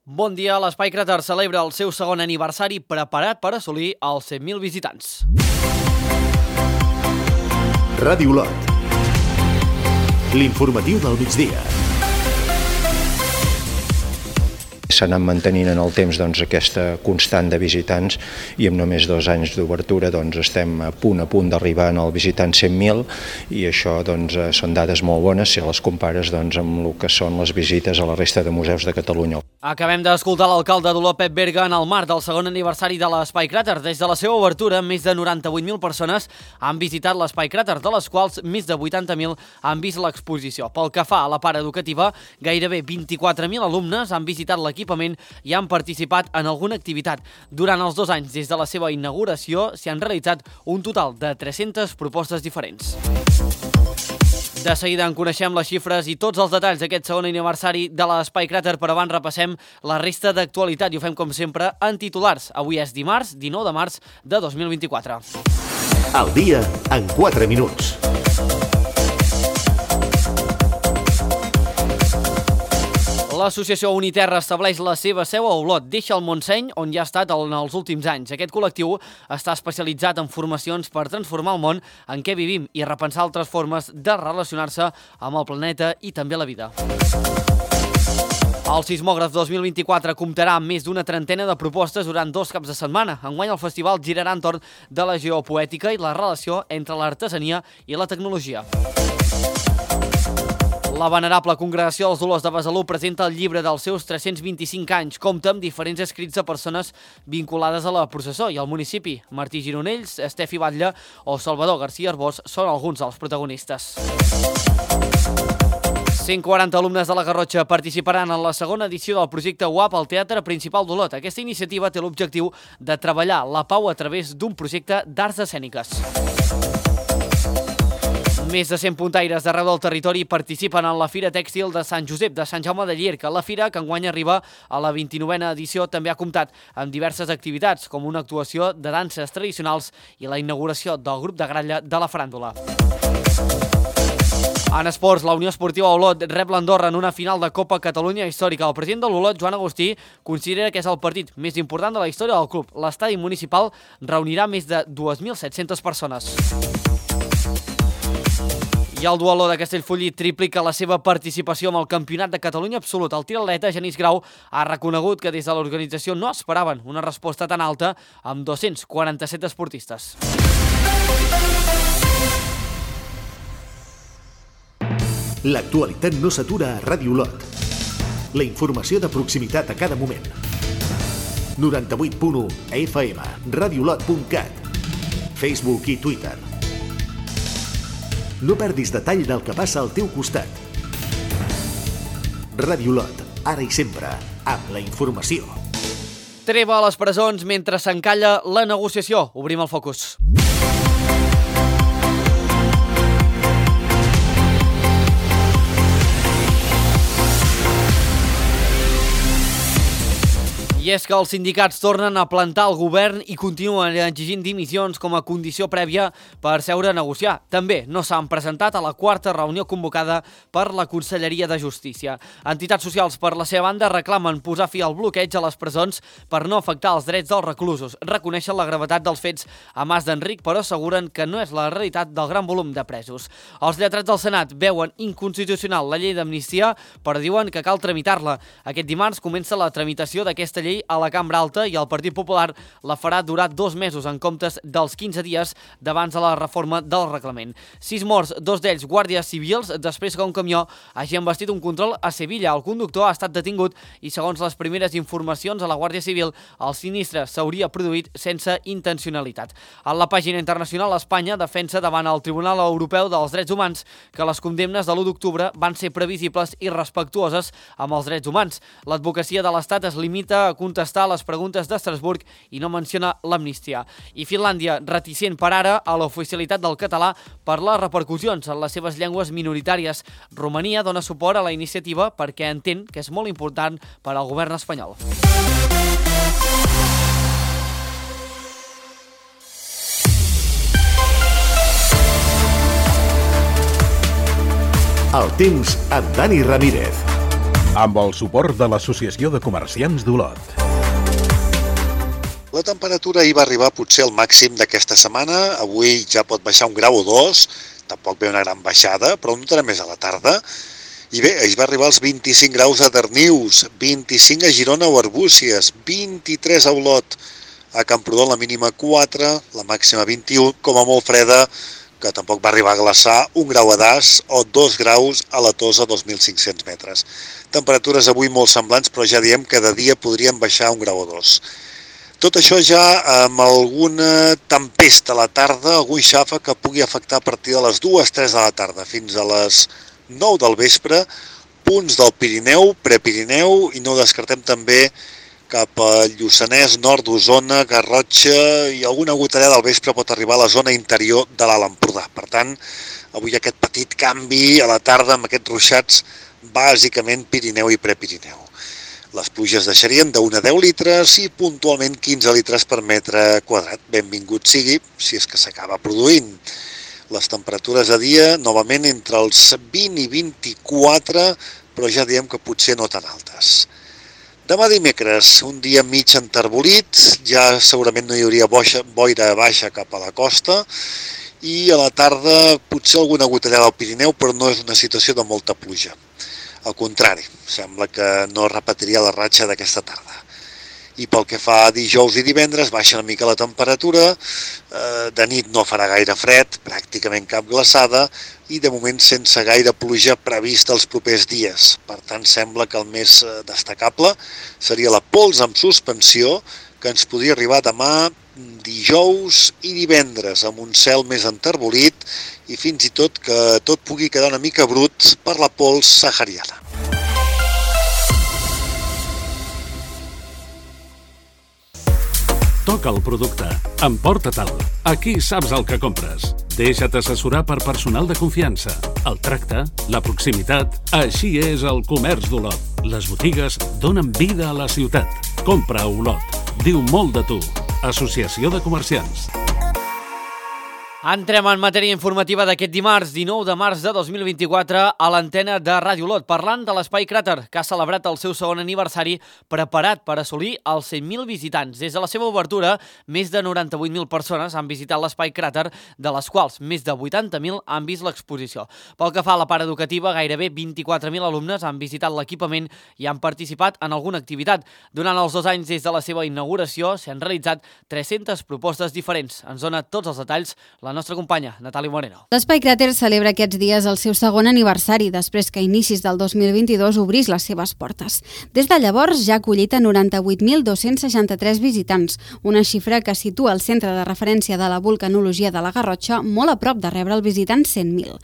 Bon dia, l'Espai Cràter celebra el seu segon aniversari preparat per assolir els 100.000 visitants. Ràdio Olot. L'informatiu del migdia. S'ha anat mantenint en el temps aquesta constant de visitants i amb només 2 anys d'obertura estem a punt d'arribar al visitant 100.000 i això són dades molt bones si les compares amb el que són les visites a la resta de museus de Catalunya. Acabem d'escoltar l'alcalde d'Olot, Pep Berga, en el marc del segon aniversari de l'Espai Cràter. Des de la seva obertura, més de 98.000 persones han visitat l'Espai Cràter, de les quals més de 80.000 han vist l'exposició. Pel que fa a la part educativa, gairebé 24.000 alumnes han visitat l'equipament i han participat en alguna activitat. Durant els 2 anys des de la seva inauguració s'hi han realitzat un total de 300 propostes diferents. De seguida en coneixem les xifres i tots els detalls d'aquest segon aniversari de l'Espai Cràter, però abans repassem la resta d'actualitat i ho fem com sempre en titulars. Avui és dimarts, 19 de març de 2024. El dia en 4 minuts. L'associació Uniterra estableix la seva seu a Olot, deixa el Montseny, on ja ha estat en els últims anys. Aquest col·lectiu està especialitzat en formacions per transformar el món en què vivim i repensar altres formes de relacionar-se amb el planeta i també la vida. El Sismògraf 2024 comptarà amb més d'una trentena de propostes durant 2 caps de setmana. Enguany el festival girarà entorn de la geopoètica i la relació entre l'artesania i la tecnologia. La venerable Congregació dels Dolors de Besalú presenta el llibre dels seus 325 anys. Compta amb diferents escrits de persones vinculades a la processó i al municipi. Martí Gironells, Estefi Batlle o Salvador García Arbós són alguns dels protagonistes. 140 alumnes de la Garrotxa participaran en la segona edició del projecte UAP al Teatre Principal d'Olot. Aquesta iniciativa té l'objectiu de treballar la pau a través d'un projecte d'arts escèniques. Més de 100 puntaires d'arreu del territori participen en la Fira Tèxtil de Sant Josep de Sant Jaume de Llierca. La fira, que enguany arriba a la 29a edició, també ha comptat amb diverses activitats, com una actuació de danses tradicionals i la inauguració del grup de gralla de la faràndula. En esports, la Unió Esportiva Olot rep l'Andorra en una final de Copa Catalunya històrica. El president de l'Olot, Joan Agustí, considera que és el partit més important de la història del club. L'estadi municipal reunirà més de 2.700 persones. I el dueló de Castellfollit triplica la seva participació en el Campionat de Catalunya absolut. El triatleta Genís Grau ha reconegut que des de l'organització no esperaven una resposta tan alta amb 247 esportistes. L'actualitat no s'atura a Ràdio Olot. La informació de proximitat a cada moment. 98.1 FM, radioolot.cat, Facebook i Twitter. No perdis detall del que passa al teu costat. Ràdio Olot, ara i sempre, amb la informació. Treva a les presons mentre s'encalla la negociació. Obrim el focus. I és que els sindicats tornen a plantar el govern i continuen exigint dimissions com a condició prèvia per seure a negociar. També no s'han presentat a la 4a reunió convocada per la Conselleria de Justícia. Entitats socials, per la seva banda, reclamen posar fi al bloqueig a les presons per no afectar els drets dels reclusos. Reconeixen la gravetat dels fets a Mas d'Enric, però asseguren que no és la realitat del gran volum de presos. Els lletrats del Senat veuen inconstitucional la llei d'amnistia, però diuen que cal tramitar-la. Aquest dimarts comença la tramitació d'aquesta llei a la Cambra Alta i el Partit Popular la farà durar 2 mesos en comptes dels 15 dies d'abans de la reforma del reglament. 6 morts, 2 d'ells guàrdies civils, després que un camió hagi embastit un control a Sevilla. El conductor ha estat detingut i, segons les primeres informacions a la Guàrdia Civil, el sinistre s'hauria produït sense intencionalitat. En la pàgina internacional, Espanya defensa davant el Tribunal Europeu dels Drets Humans que les condemnes de l'1 d'octubre van ser previsibles i respectuoses amb els drets humans. L'advocacia de l'Estat es limita a contestar les preguntes d'Estrasburg i no menciona l'amnistia. I Finlàndia, reticent per ara a l'oficialitat del català per les repercussions en les seves llengües minoritàries. Romania dona suport a la iniciativa perquè entén que és molt important per al govern espanyol. El temps amb Dani Ramírez. amb el suport de l'Associació de Comerciants d'Olot. La temperatura ahir va arribar potser al màxim d'aquesta setmana. Avui ja pot baixar 1 grau o 2, tampoc ve una gran baixada, però notarà més a la tarda. I bé, ahir va arribar als 25 graus a Darnius, 25 a Girona o Arbúcies, 23 a Olot, a Camprodon la mínima 4, la màxima 21, com a molt freda, que tampoc va arribar a glaçar, 1 grau a Das o 2 graus a la Tosa, 2.500 metres. Temperatures avui molt semblants, però ja diem que de dia podrien baixar 1 grau o 2. Tot això ja amb alguna tempesta a la tarda, algun xàfec que pugui afectar a partir de les 2-3 de la tarda fins a les 9 del vespre, punts del Pirineu, Prepirineu, i no descartem també cap a Lluçanès, nord d'Osona, Garrotxa, i alguna gotellada del vespre pot arribar a la zona interior de l'Alt Empordà. Per tant, avui aquest petit canvi a la tarda amb aquests ruixats, bàsicament Pirineu i Prepirineu. Les pluges deixarien de 1 a 10 litres i puntualment 15 litres per metre quadrat. Benvingut sigui, si és que s'acaba produint. Les temperatures a dia, novament, entre els 20 i 24, però ja diem que potser no tan altes. Demà dimecres, un dia mig enterbolit, ja segurament no hi hauria boira baixa cap a la costa, i a la tarda potser alguna gotellada al Pirineu, però no és una situació de molta pluja. Al contrari, sembla que no repetiria la ratxa d'aquesta tarda. I pel que fa a dijous i divendres, baixa una mica la temperatura, de nit no farà gaire fred, pràcticament cap glaçada, i de moment sense gaire pluja prevista els propers dies. Per tant, sembla que el més destacable seria la pols amb suspensió, que ens podria arribar demà, dijous i divendres, amb un cel més enterbolit i fins i tot que tot pugui quedar una mica brut per la pols sahariana. Toca el producte. Emporta-te'l. Aquí saps el que compres. Deixa't assessorar per personal de confiança. El tracte, la proximitat, així és el comerç d'Olot. Les botigues donen vida a la ciutat. Compra a Olot. Diu molt de tu. Associació de Comerciants. Entrem en matèria informativa d'aquest dimarts, 19 de març de 2024, a l'antena de Ràdio Olot, parlant de l'Espai Cràter, que ha celebrat el seu segon aniversari preparat per assolir els 100.000 visitants. Des de la seva obertura, més de 98.000 persones han visitat l'Espai Cràter, de les quals més de 80.000 han vist l'exposició. Pel que fa a la part educativa, gairebé 24.000 alumnes han visitat l'equipament i han participat en alguna activitat. Durant els 2 anys des de la seva inauguració s'han realitzat 300 propostes diferents. Ens dona tots els detalls la nostra companya, Natàlia Moreno. L'Espai Cràter celebra aquests dies el seu segon aniversari, després que a inicis del 2022 obrís les seves portes. Des de llavors ja ha acollit a 98.263 visitants, una xifra que situa el centre de referència de la vulcanologia de la Garrotxa molt a prop de rebre el visitant 100.000.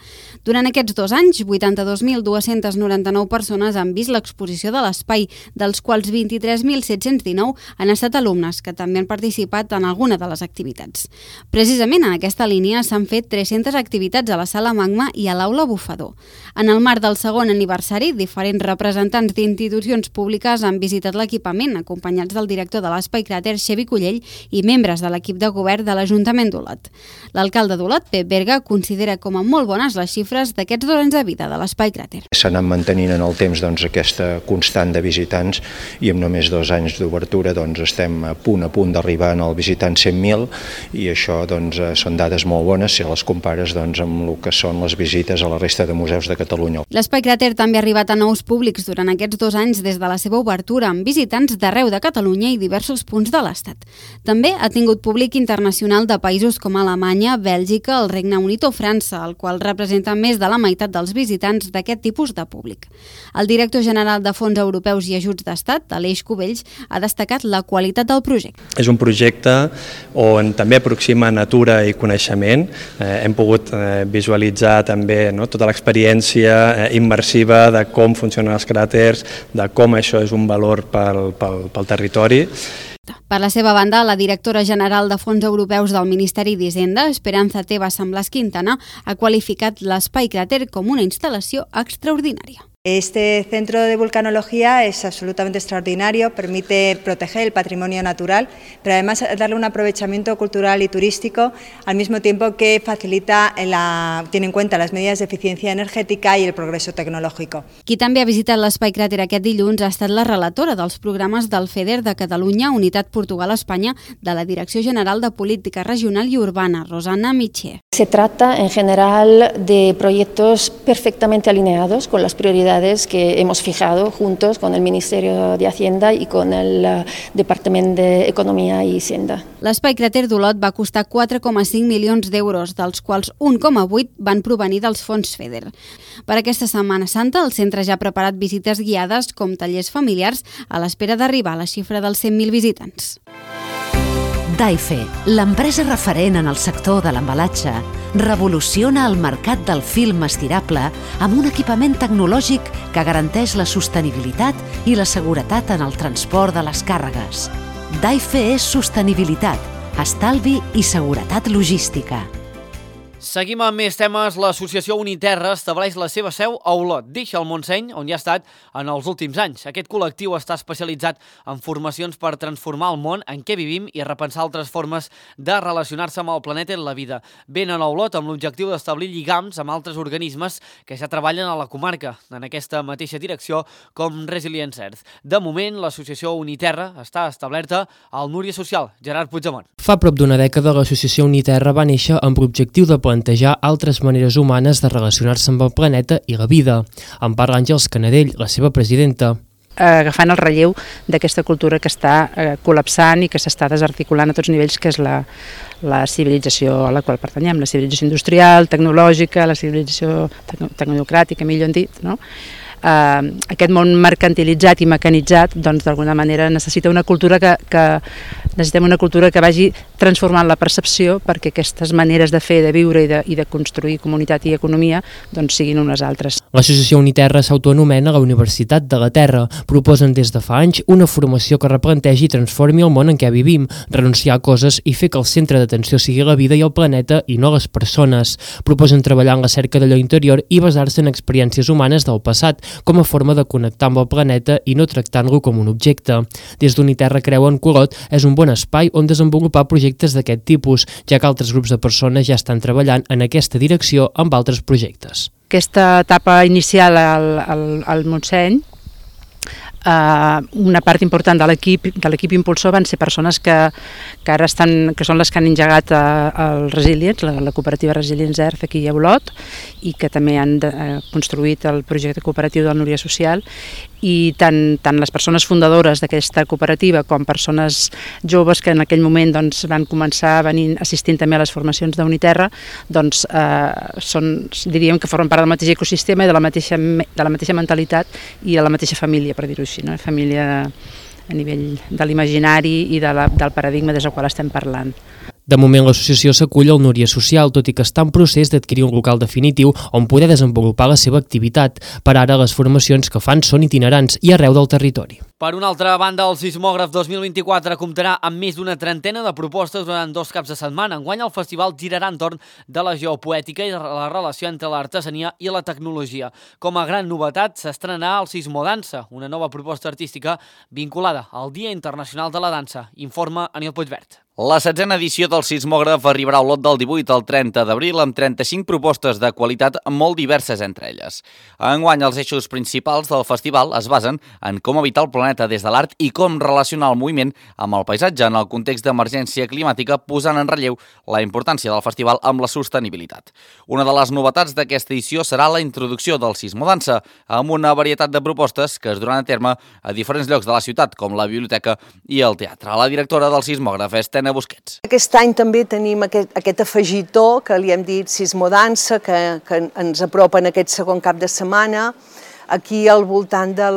Durant aquests 2 anys, 82.299 persones han vist l'exposició de l'espai, dels quals 23.719 han estat alumnes, que també han participat en alguna de les activitats. Precisament en aquesta línia s'han fet 300 activitats a la Sala Magma i a l'Aula Bufador. En el marc del segon aniversari, diferents representants d'institucions públiques han visitat l'equipament, acompanyats del director de l'Espai Cràter, Xevi Cullell, i membres de l'equip de govern de l'Ajuntament d'Olot. L'alcalde d'Olot, Pep Berga, considera com a molt bones les xifres d'aquests 2 anys de vida de l'Espai Cràter. S'ha anat mantenint en el temps aquesta constant de visitants i amb només 2 anys d'obertura estem a punt d'arribar al visitant 100.000 i això són dades molt bones si les compares amb el que són les visites a la resta de museus de Catalunya. L'Espai Cràter també ha arribat a nous públics durant aquests 2 anys des de la seva obertura, amb visitants d'arreu de Catalunya i diversos punts de l'Estat. També ha tingut públic internacional de països com Alemanya, Bèlgica, el Regne Unit o França, el qual representa més de la meitat dels visitants d'aquest tipus de públic. El director general de Fons Europeus i Ajuts d'Estat, Aleix Cubells, ha destacat la qualitat del projecte. És un projecte on també aproxima natura i coneixement. Hem pogut visualitzar també tota l'experiència immersiva de com funcionen els cràters, de com això és un valor pel territori. Per la seva banda, la directora general de Fons Europeus del Ministeri d'Hisenda, Esperanza Tebas Samblas Quintana, ha qualificat l'Espai Cràter com una instal·lació extraordinària. Este centro de vulcanología es absolutamente extraordinario, permite proteger el patrimonio natural, pero además darle un aprovechamiento cultural y turístico, al mismo tiempo que facilita, tiene en cuenta las medidas de eficiencia energética i el progreso tecnológico. Qui també ha visitat l'Espai Cràter aquest dilluns ha estat la relatora dels programes del FEDER de Catalunya, Unitat Portugal-Espanya, de la Direcció General de Política Regional i Urbana, Rosana Miché. Se trata en general de proyectos perfectamente alineados con las prioridades que hemos fijado juntos con el Ministerio de Hacienda y con el Departamento de Economía y Hisenda. L'Espai Cràter d'Olot va costar 4,5 milions d'euros, dels quals 1,8 van provenir dels fons FEDER. Per aquesta Setmana Santa, el centre ja ha preparat visites guiades com tallers familiars a l'espera d'arribar a la xifra dels 100.000 visitants. Daife, l'empresa referent en el sector de l'embalatge, revoluciona el mercat del film estirable amb un equipament tecnològic que garanteix la sostenibilitat i la seguretat en el transport de les càrregues. Daife és sostenibilitat, estalvi i seguretat logística. Seguim amb més temes. L'associació Uniterra estableix la seva seu a Olot. Deixa el Montseny, on ja ha estat en els últims anys. Aquest col·lectiu està especialitzat en formacions per transformar el món en què vivim i repensar altres formes de relacionar-se amb el planeta i la vida. Venen a Olot amb l'objectiu d'establir lligams amb altres organismes que ja treballen a la comarca, en aquesta mateixa direcció com Resilience Earth. De moment, l'associació Uniterra està establerta al Núria Social. Gerard Puigdemont. Fa prop d'una dècada, l'associació Uniterra va néixer amb l'objectiu de plantejar altres maneres humanes de relacionar-se amb el planeta i la vida. En parla Àngels Canadell, la seva presidenta. Agafant el relleu d'aquesta cultura que està col·lapsant i que s'està desarticulant a tots nivells, que és la civilització a la qual pertanyem, la civilització industrial, tecnològica, la civilització tecnocràtica, millor dit, no? Aquest món mercantilitzat i mecanitzat, doncs d'alguna manera necessita una cultura necessitem una cultura que vagi transformant la percepció perquè aquestes maneres de fer, de viure i de construir comunitat i economia doncs siguin unes altres. L'associació Uniterra s'autoanomena la Universitat de la Terra. Proposen des de fa anys una formació que replantegi i transformi el món en què vivim, renunciar a coses i fer que el centre d'atenció sigui la vida i el planeta i no les persones. Proposen treballar en la cerca d'allò interior i basar-se en experiències humanes del passat, com a forma de connectar amb el planeta i no tractant-lo com un objecte. Des d'Uniterra creuen que Olot és un bon espai on desenvolupar projectes d'aquest tipus, ja que altres grups de persones ja estan treballant en aquesta direcció amb altres projectes. Aquesta etapa inicial al Montseny, una part important de l'equip impulsor van ser persones que ara que són les que han engegat el Resilience, la cooperativa Resilience Earth aquí a Olot, i que també han construït el projecte cooperatiu del Núria Social, i tant les persones fundadores d'aquesta cooperativa com persones joves que en aquell moment van començar assistint també a les formacions d'Uniterra, doncs diríem que formen part del mateix ecosistema i de la mateixa mentalitat i de la mateixa família, per dir-ho així, no? Família a nivell de l'imaginari i del paradigma des del qual estem parlant. De moment, l'associació s'acull al Núria Social, tot i que està en procés d'adquirir un local definitiu on poder desenvolupar la seva activitat. Per ara, les formacions que fan són itinerants i arreu del territori. Per una altra banda, el Sismògraf 2024 comptarà amb més d'una trentena de propostes durant 2 caps de setmana. Enguany, el festival girarà entorn de la geopoètica i la relació entre l'artesania i la tecnologia. Com a gran novetat, s'estrenarà el Sismodansa, una nova proposta artística vinculada al Dia Internacional de la Dansa. Informa Aniol Puigvert. La 16a edició del Sismògraf arribarà a Olot del 18 al 30 d'abril amb 35 propostes de qualitat molt diverses entre elles. Enguany, els eixos principals del festival es basen en com evitar el planeta des de l'art i com relacionar el moviment amb el paisatge en el context d'emergència climàtica, posant en relleu la importància del festival amb la sostenibilitat. Una de les novetats d'aquesta edició serà la introducció del Sismodansa, amb una varietat de propostes que es duran a terme a diferents llocs de la ciutat, com la biblioteca i el teatre. La directora del Sismògraf és Tena Busquets. Aquest any també tenim aquest afegitó que li hem dit Sismodansa, que ens apropa en aquest segon cap de setmana, aquí al voltant de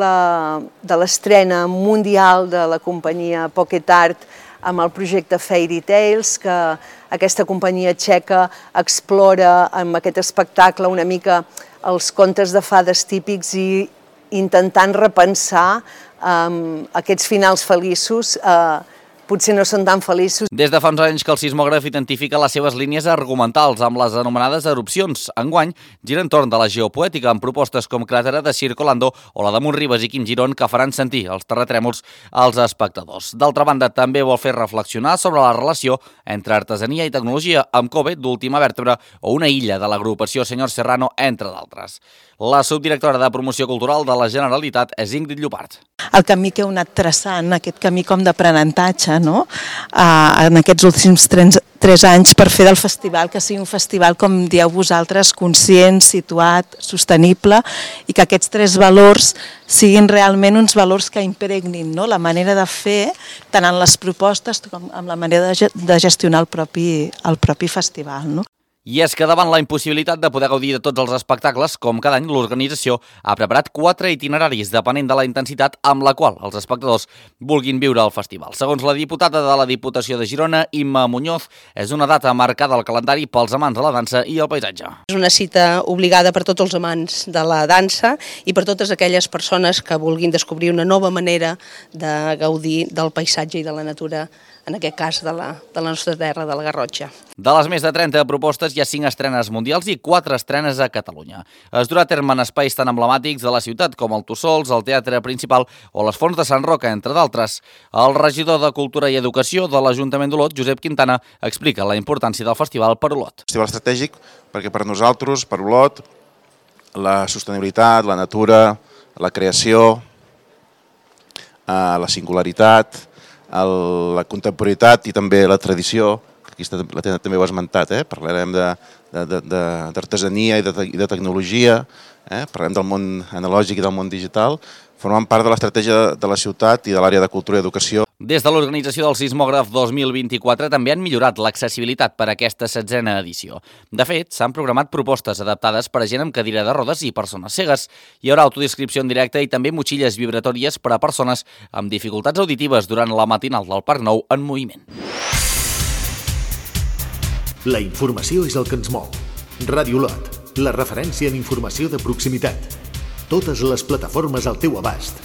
l'estrena mundial de la companyia Pocket Art amb el projecte Fairy Tales, que aquesta companyia txeca explora amb aquest espectacle una mica els contes de fades típics i intentant repensar aquests finals feliços potser no són tan feliços. Des de fa uns anys que el sismògraf identifica les seves línies argumentals amb les anomenades erupcions. Enguany gira entorn de la geopoètica amb propostes com Cràtera de Circolando o la de Montribes i Quim Girón que faran sentir els terratrèmols als espectadors. D'altra banda, també vol fer reflexionar sobre la relació entre artesania i tecnologia amb Kobe, d'Última Vèrtebra, o Una illa de l'agrupació Senyor Serrano, entre d'altres. La subdirectora de Promoció Cultural de la Generalitat és Ingrid Llopart. El camí que heu anat traçant, aquest camí com d'aprenentatge, no? En aquests últims 3 anys per fer del festival que sigui un festival, com dieu vosaltres, conscient, situat, sostenible, i que aquests 3 valors siguin realment uns valors que impregnin, no? La manera de fer, tant en les propostes com en la manera de gestionar el propi festival, no? I és que davant la impossibilitat de poder gaudir de tots els espectacles, com cada any, l'organització ha preparat 4 itineraris depenent de la intensitat amb la qual els espectadors vulguin viure el festival. Segons la diputada de la Diputació de Girona, Imma Muñoz, és una data marcada al calendari pels amants de la dansa i el paisatge. És una cita obligada per tots els amants de la dansa i per totes aquelles persones que vulguin descobrir una nova manera de gaudir del paisatge i de la natura, en aquest cas de la nostra terra, de la Garrotxa. De les més de 30 propostes hi ha 5 estrenes mundials i 4 estrenes a Catalunya. Es durà a terme en espais tan emblemàtics de la ciutat com el Tussols, el Teatre Principal o les Fonts de Sant Roca, entre d'altres. El regidor de Cultura i Educació de l'Ajuntament d'Olot, Josep Quintana, explica la importància del festival per Olot. Festival estratègic perquè per nosaltres, per Olot, la sostenibilitat, la natura, la creació, la singularitat, la contemporanitat i també la tradició, que aquí també ho has esmentat, parlarem d'artesania i de tecnologia, parlarem del món analògic i del món digital, formen part de l'estratègia de la ciutat i de l'àrea de cultura i educació. Des de l'organització del Sismògraf 2024 també han millorat l'accessibilitat per a aquesta 16a edició. De fet, s'han programat propostes adaptades per a gent amb cadira de rodes i persones cegues. Hi haurà autodescripció en directe i també motxilles vibratòries per a persones amb dificultats auditives durant la matinal del Parc Nou en moviment. La informació és el que ens mou. Ràdio Olot, la referència en informació de proximitat. Totes les plataformes al teu abast.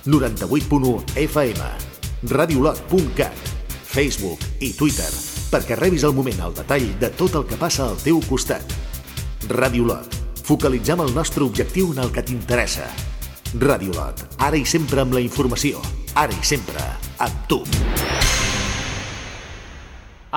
98.1 FM, radiolot.cat, Facebook i Twitter, perquè rebis al moment el detall de tot el que passa al teu costat. Ràdio Olot, focalitzem el nostre objectiu en el que t'interessa. Ràdio Olot, ara i sempre amb la informació, ara i sempre amb tu.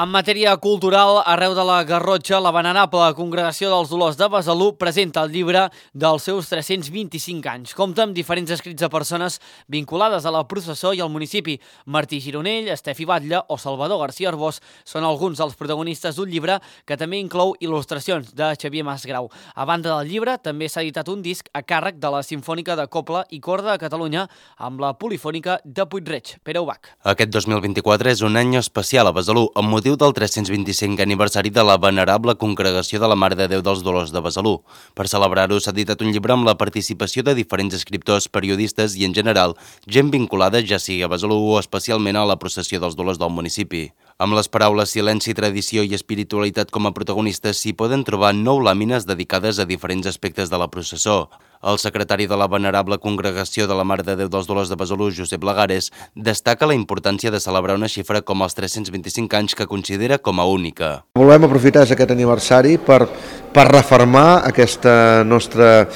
En matèria cultural, arreu de la Garrotxa, la venerable Congregació dels Dolors de Besalú presenta el llibre dels seus 325 anys. Compta amb diferents escrits de persones vinculades a la processó i al municipi. Martí Gironell, Estefi Batlle o Salvador García Arbós són alguns dels protagonistes d'un llibre que també inclou il·lustracions de Xavier Masgrau. A banda del llibre, també s'ha editat un disc a càrrec de la Simfònica de Cobla i Corda de Catalunya amb la Polifònica de Puig-reig. Pere Ubach. Aquest 2024 és un any especial a Besalú, amb motiu del 325 aniversari de la venerable Congregació de la Mare de Déu dels Dolors de Besalú. Per celebrar-ho s'ha editat un llibre amb la participació de diferents escriptors, periodistes i, en general, gent vinculada ja sigui a Besalú o especialment a la processió dels Dolors del municipi. Amb les paraules silenci, tradició i espiritualitat com a protagonistes s'hi poden trobar 9 làmines dedicades a diferents aspectes de la processó. El secretari de la venerable Congregació de la Mare de Déu dels Dolors de Besalú, Josep Lagares, destaca la importància de celebrar una xifra com els 325 anys que considera com a única. Volem aprofitar aquest aniversari per refermar aquesta nostra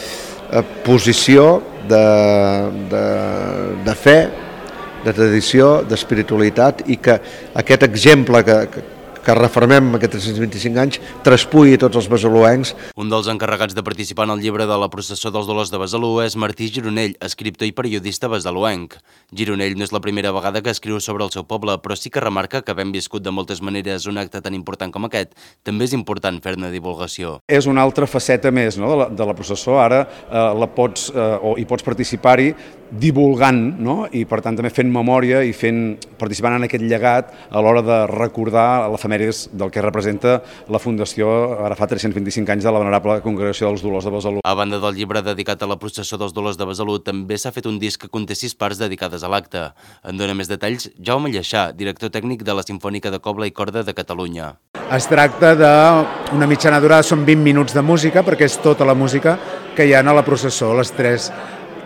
posició de fe, de tradició, d'espiritualitat i que aquest exemple que refermem aquests 325 anys traspui tots els besaluencs. Un dels encarregats de participar en el llibre de la processó dels Dolors de Besalú és Martí Gironell, escriptor i periodista besaluenc. Gironell no és la primera vegada que escriu sobre el seu poble, però sí que remarca que havent viscut de moltes maneres un acte tan important com aquest, també és important fer-ne divulgació. És una altra faceta més, no, de la processó. Ara hi pots participar-hi divulgant, no? I per tant també fent memòria i participant en aquest llegat a l'hora de recordar l'efemèrides del que representa la Fundació, ara fa 325 anys, de la venerable Congregació dels Dolors de Besalú. A banda del llibre dedicat a la processó dels Dolors de Besalú, també s'ha fet un disc que conté 6 parts dedicades a l'acte. En dona més detalls Jaume Lleixà, director tècnic de la Simfònica de Cobla i Corda de Catalunya. Es tracta d'una mitjana durada, són 20 minuts de música, perquè és tota la música que hi ha a la processó, les 3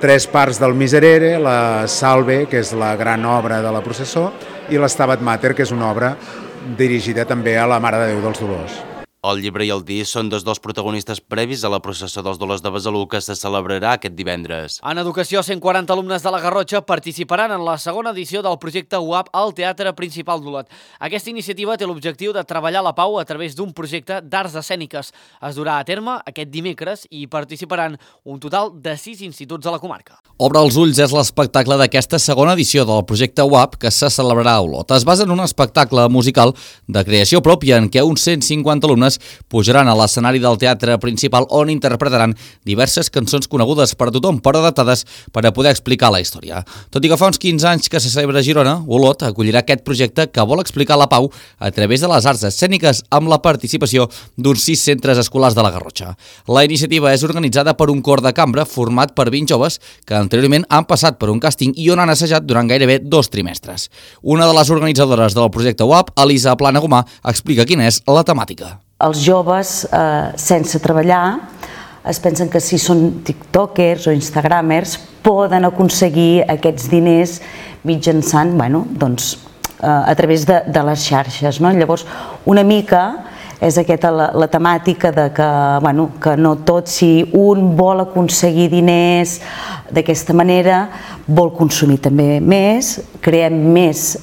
3 parts del Miserere, la Salve, que és la gran obra de la processó, i l'Stabat Mater, que és una obra dirigida també a la Mare de Déu dels Dolors. El llibre i el disc són dos dels protagonistes previs a la processó dels Dolors de Besalú que se celebrarà aquest divendres. En educació, 140 alumnes de la Garrotxa participaran en la segona edició del projecte UAP al Teatre Principal d'Olot. Aquesta iniciativa té l'objectiu de treballar la pau a través d'un projecte d'arts escèniques. Es durà a terme aquest dimecres i participaran un total de 6 instituts de la comarca. Obre els ulls és l'espectacle d'aquesta segona edició del projecte UAP que se celebrarà a Olot. Es basa en un espectacle musical de creació pròpia en què uns 150 alumnes pujaran a l'escenari del teatre principal on interpretaran diverses cançons conegudes per tothom però adaptades per a poder explicar la història. Tot i que fa uns 15 anys que se celebra a Girona, Olot acollirà aquest projecte que vol explicar la pau a través de les arts escèniques amb la participació d'uns 6 centres escolars de la Garrotxa. La iniciativa és organitzada per un cor de cambra format per 20 joves que anteriorment han passat per un càsting i on han assajat durant gairebé 2 trimestres. Una de les organitzadores del projecte UAP, Elisa Planagumà, explica quina és la temàtica. Els joves, sense treballar, es pensen que si són tiktokers o instagramers poden aconseguir aquests diners mitjançant, a través de les xarxes. Llavors, una mica és aquesta la temàtica de que no tot, si un vol aconseguir diners d'aquesta manera, vol consumir també més, creem més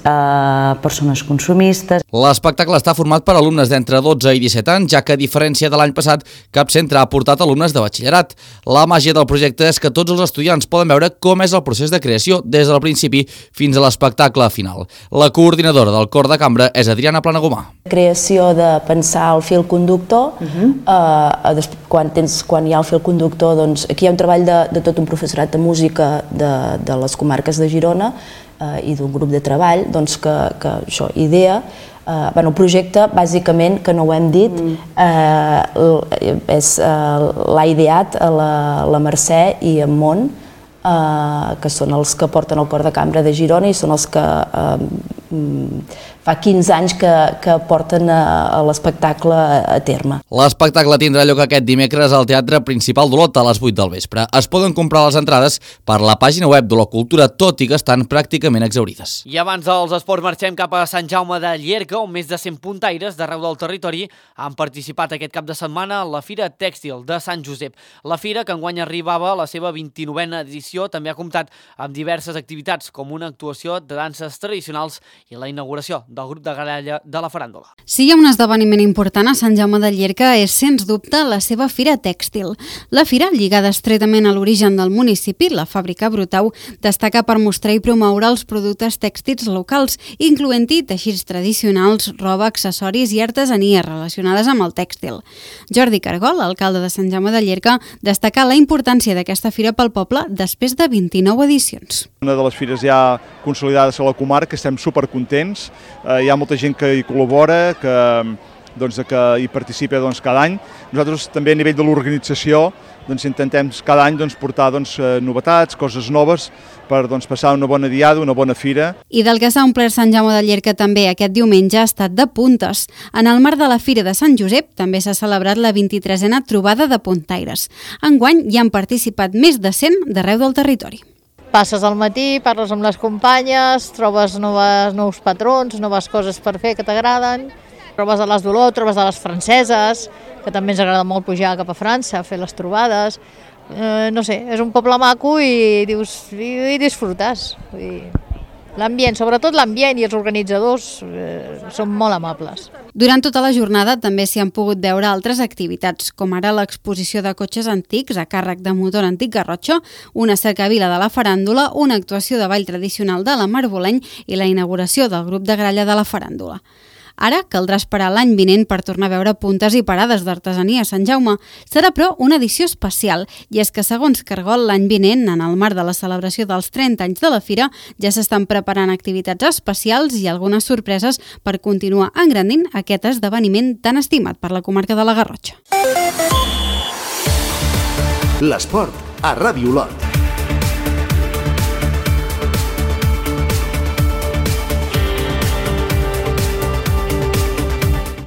persones consumistes. L'espectacle està format per alumnes d'entre 12 i 17 anys, ja que a diferència de l'any passat, cap centre ha portat alumnes de batxillerat. La màgia del projecte és que tots els estudiants poden veure com és el procés de creació des del principi fins a l'espectacle final. La coordinadora del cor de cambra és Adriana Planagumà. Creació de pensar el fil conductor, quan hi ha el fil conductor, doncs aquí hi ha un treball de tot un professorat de música de les comarques de Girona i d'un grup de treball que això idea. El projecte, bàsicament, que no ho hem dit, l'ha ideat la Mercè i en Mont, que són els que porten el cor de cambra de Girona i són els que fa 15 anys que porten l'espectacle a terme. L'espectacle tindrà lloc aquest dimecres al Teatre Principal d'Olot a les 8 del vespre. Es poden comprar les entrades per la pàgina web d'Olot Cultura, tot i que estan pràcticament exhaurides. I abans dels esports marxem cap a Sant Jaume de Llierca, on més de 100 puntaires d'arreu del territori han participat aquest cap de setmana a la Fira Tèxtil de Sant Josep. La fira, que enguany arribava a la seva 29a edició, també ha comptat amb diverses activitats, com una actuació de danses tradicionals i la inauguració del grup de gralla de la faràndula. Si hi ha un esdeveniment important a Sant Jaume de Llierca és, sens dubte, la seva Fira Tèxtil. La fira, lligada estretament a l'origen del municipi, la fàbrica Brutau, destaca per mostrar i promoure els productes tèxtils locals, incloent-hi teixits tradicionals, roba, accessoris i artesanies relacionades amb el tèxtil. Jordi Cargol, alcalde de Sant Jaume de Llierca, destaca la importància d'aquesta fira pel poble després de 29 edicions. Una de les fires ja consolidades a la comarca, estem supercontents, hi ha molta gent que hi col·labora, que hi participa cada any. Nosaltres també a nivell de l'organització intentem cada any portar novetats, coses noves, per passar una bona diada, una bona fira. I del que s'ha omplert Sant Jaume de Llierca també aquest diumenge ha estat de puntes. En el marc de la Fira de Sant Josep també s'ha celebrat la 23a trobada de puntaires. Enguany hi han participat més de 100 d'arreu del territori. Passes al matí, parles amb les companyes, trobes nous patrons, noves coses per fer que t'agraden, trobes a les d'Olot, trobes a les franceses, que també ens agrada molt pujar cap a França, a fer les trobades. No sé, és un poble maco i dius, i disfrutes. L'ambient, sobretot l'ambient i els organitzadors són molt amables. Durant tota la jornada també s'hi han pogut veure altres activitats, com ara l'exposició de cotxes antics a càrrec de Motor Antic Garrotxa, una cercavila de la faràndula, una actuació de ball tradicional de la Marboleny i la inauguració del grup de gralla de la faràndula. Ara caldrà esperar l'any vinent per tornar a veure puntes i parades d'artesania a Sant Jaume. Serà, però, una edició especial, i és que, segons Cargol, l'any vinent, en el marc de la celebració dels 30 anys de la Fira, ja s'estan preparant activitats especials i algunes sorpreses per continuar engrandint aquest esdeveniment tan estimat per la comarca de la Garrotxa. L'esport a Ràdio Olot.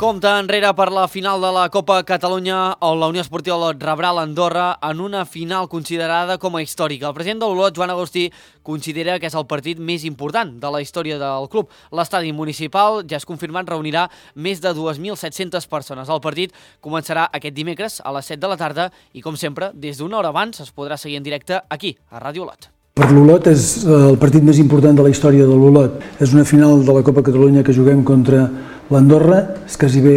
compte enrere per la final de la Copa Catalunya, on la Unió Esportiva Olot rebrà l'Andorra en una final considerada com a històrica. El president de l'Olot, Joan Agustí, considera que és el partit més important de la història del club. L'estadi municipal, ja és confirmat, reunirà més de 2.700 persones. El partit començarà aquest dimecres a les 7 de la tarda i, com sempre, des d'una hora abans es podrà seguir en directe aquí, a Ràdio Olot. Per l'Olot és el partit més important de la història de l'Olot. És una final de la Copa Catalunya que juguem contra l'Andorra, és quasi bé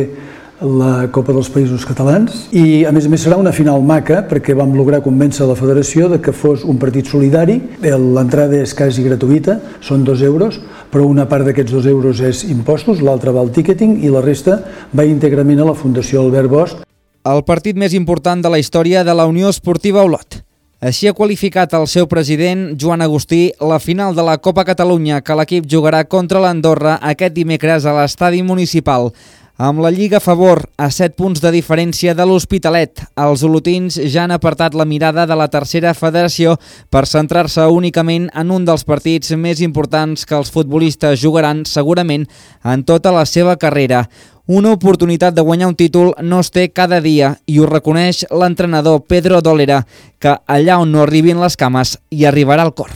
la Copa dels Països Catalans, i a més serà una final maca perquè vam lograr convèncer la federació de que fos un partit solidari. L'entrada és quasi gratuïta, són 2 euros, però una part d'aquests 2 euros és impostos, l'altra va al ticketing i la resta va íntegrament a la Fundació Albert Bosch. El partit més important de la història de la Unió Esportiva Olot. Així ha qualificat el seu president, Joan Agustí, la final de la Copa Catalunya que l'equip jugarà contra l'Andorra aquest dimecres a l'estadi municipal. Amb la Lliga a favor, a 7 punts de diferència de l'Hospitalet, els olotins ja han apartat la mirada de la tercera federació per centrar-se únicament en un dels partits més importants que els futbolistes jugaran segurament en tota la seva carrera. Una oportunitat de guanyar un títol no es té cada dia i ho reconeix l'entrenador Pedro Dolera, que allà on no arribin les cames hi arribarà el cor.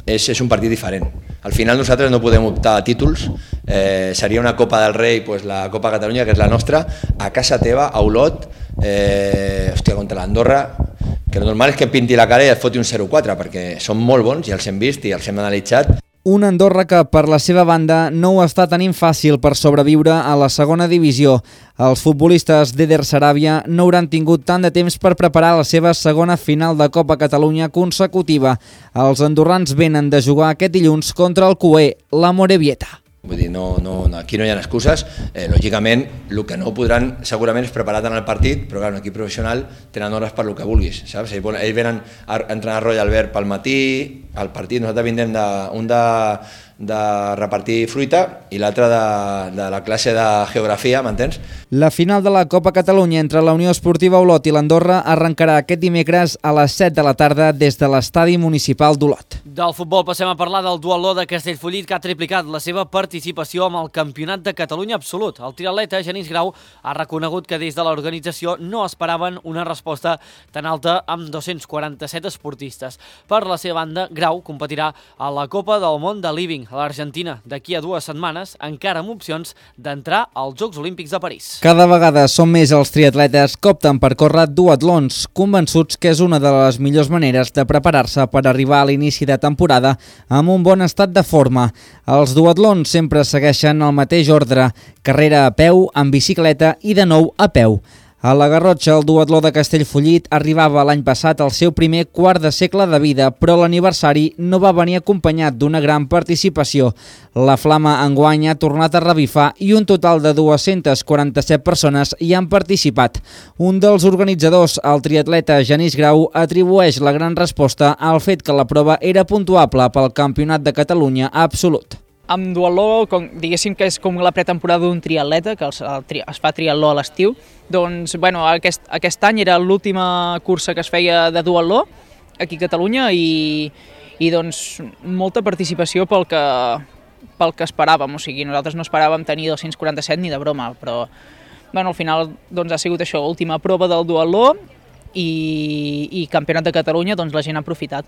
És un partit diferent. Al final nosaltres no podem optar a títols, seria una Copa del Rei, pues la Copa Catalunya, que és la nostra, a casa teva, a Olot, contra l'Andorra, que el normal és que pinti la cara i et foti un 0-4, perquè són molt bons i els hem vist i els hem analitzat. Un Andorra que, per la seva banda, no ho està tenint fàcil per sobreviure a la segona divisió. Els futbolistes d'Eder Saràbia no hauran tingut tant de temps per preparar la seva segona final de Copa Catalunya consecutiva. Els andorrans venen de jugar aquest dilluns contra el cuer, la Morevieta. Vull dir, aquí no hi ha excuses. Lògicament, el que no podran segurament és preparar tant el partit, però clar, un equip professional tenen hores per el que vulguis, saps? Ells venen a entrenar Roy Albert pel matí, al partit nosaltres vindrem de repartir fruita i l'altre de la classe de geografia, m'entens? La final de la Copa Catalunya entre la Unió Esportiva Olot i l'Andorra arrencarà aquest dimecres a les 7 de la tarda des de l'estadi municipal d'Olot. Del futbol passem a parlar del duatló de Castellfollit, que ha triplicat la seva participació amb el Campionat de Catalunya absolut. El triatleta Genís Grau ha reconegut que des de l'organització no esperaven una resposta tan alta amb 247 esportistes. Per la seva banda, Grau competirà a la Copa del Món de Living a l'Argentina d'aquí a 2 setmanes, encara amb opcions d'entrar als Jocs Olímpics de París. Cada vegada són més els triatletes que opten per córrer duatlons, convençuts que és una de les millors maneres de preparar-se per arribar a l'inici de temporada amb un bon estat de forma. Els duatlons sempre segueixen el mateix ordre: carrera a peu, en bicicleta i de nou a peu. A la Garrotxa, el duatló de Castellfollit arribava l'any passat al seu primer quart de segle de vida, però l'aniversari no va venir acompanyat d'una gran participació. La flama enguany ha tornat a revifar i un total de 247 persones hi han participat. Un dels organitzadors, el triatleta Genís Grau, atribueix la gran resposta al fet que la prova era puntuable pel Campionat de Catalunya absolut. Amb duatló, diguéssim que és com la pretemporada d'un triatleta, que es fa triatló a l'estiu, doncs aquest any era l'última cursa que es feia de duatló aquí a Catalunya i doncs molta participació pel que esperàvem, o sigui, nosaltres no esperàvem tenir 247 ni de broma, però al final doncs ha sigut això, última prova del duatló i Campionat de Catalunya, doncs la gent ha aprofitat.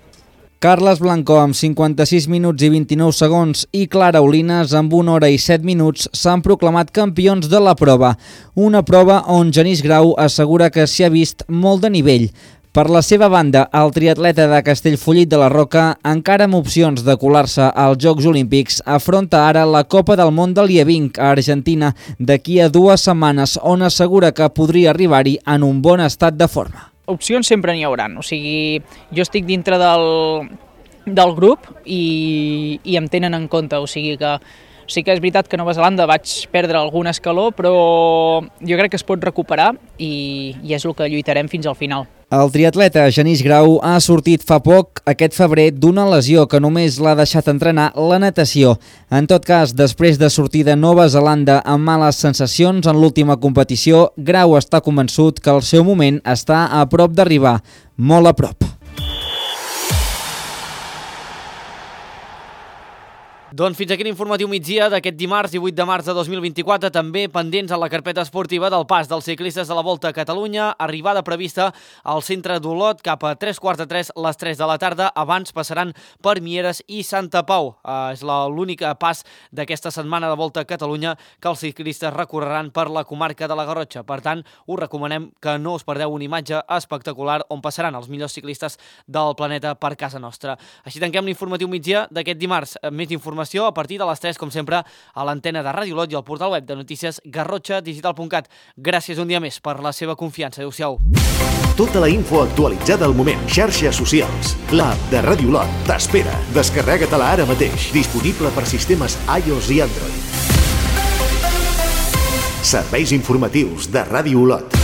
Carles Blanco amb 56 minuts i 29 segons i Clara Olines amb 1 hora i 7 minuts s'han proclamat campions de la prova. Una prova on Genís Grau assegura que s'hi ha vist molt de nivell. Per la seva banda, el triatleta de Castellfollit de la Roca, encara amb opcions de colar-se als Jocs Olímpics, afronta ara la Copa del Món de Lievink a Argentina d'aquí a 2 setmanes, on assegura que podria arribar-hi en un bon estat de forma. Opcions sempre n'hi haurà, o sigui, jo estic dintre del grup i em tenen en compte, o sigui que sí que és veritat que a Nova Zelanda vaig perdre algun escaló, però jo crec que es pot recuperar i és el que lluitarem fins al final. El triatleta Genís Grau ha sortit fa poc, aquest febrer, d'una lesió que només l'ha deixat entrenar la natació. En tot cas, després de sortir de Nova Zelanda amb males sensacions en l'última competició, Grau està convençut que el seu moment està a prop d'arribar, molt a prop. Doncs fins aquí l'informatiu migdia d'aquest dimarts 18 de març de 2024, també pendents a la carpeta esportiva del pas dels ciclistes de la Volta a Catalunya, arribada prevista al centre d'Olot cap a 2:45 les 3 de la tarda, abans passaran per Mieres i Santa Pau. És l'únic pas d'aquesta setmana de Volta a Catalunya que els ciclistes recorreran per la comarca de la Garrotxa. Per tant, us recomanem que no us perdeu una imatge espectacular on passaran els millors ciclistes del planeta per casa nostra. Així tanquem l'informatiu migdia d'aquest dimarts. Més informació a partir de les 3, com sempre, a l'antena de Ràdio Olot i al portal web de notícies garrotxadigital.cat. Gràcies un dia més per la seva confiança. Adéu-siau. Tota la info actualitzada al moment. Xarxes socials. L'app de Ràdio Olot t'espera. Descarrega-te-la ara mateix. Disponible per sistemes iOS i Android. Serveis informatius de Ràdio Olot.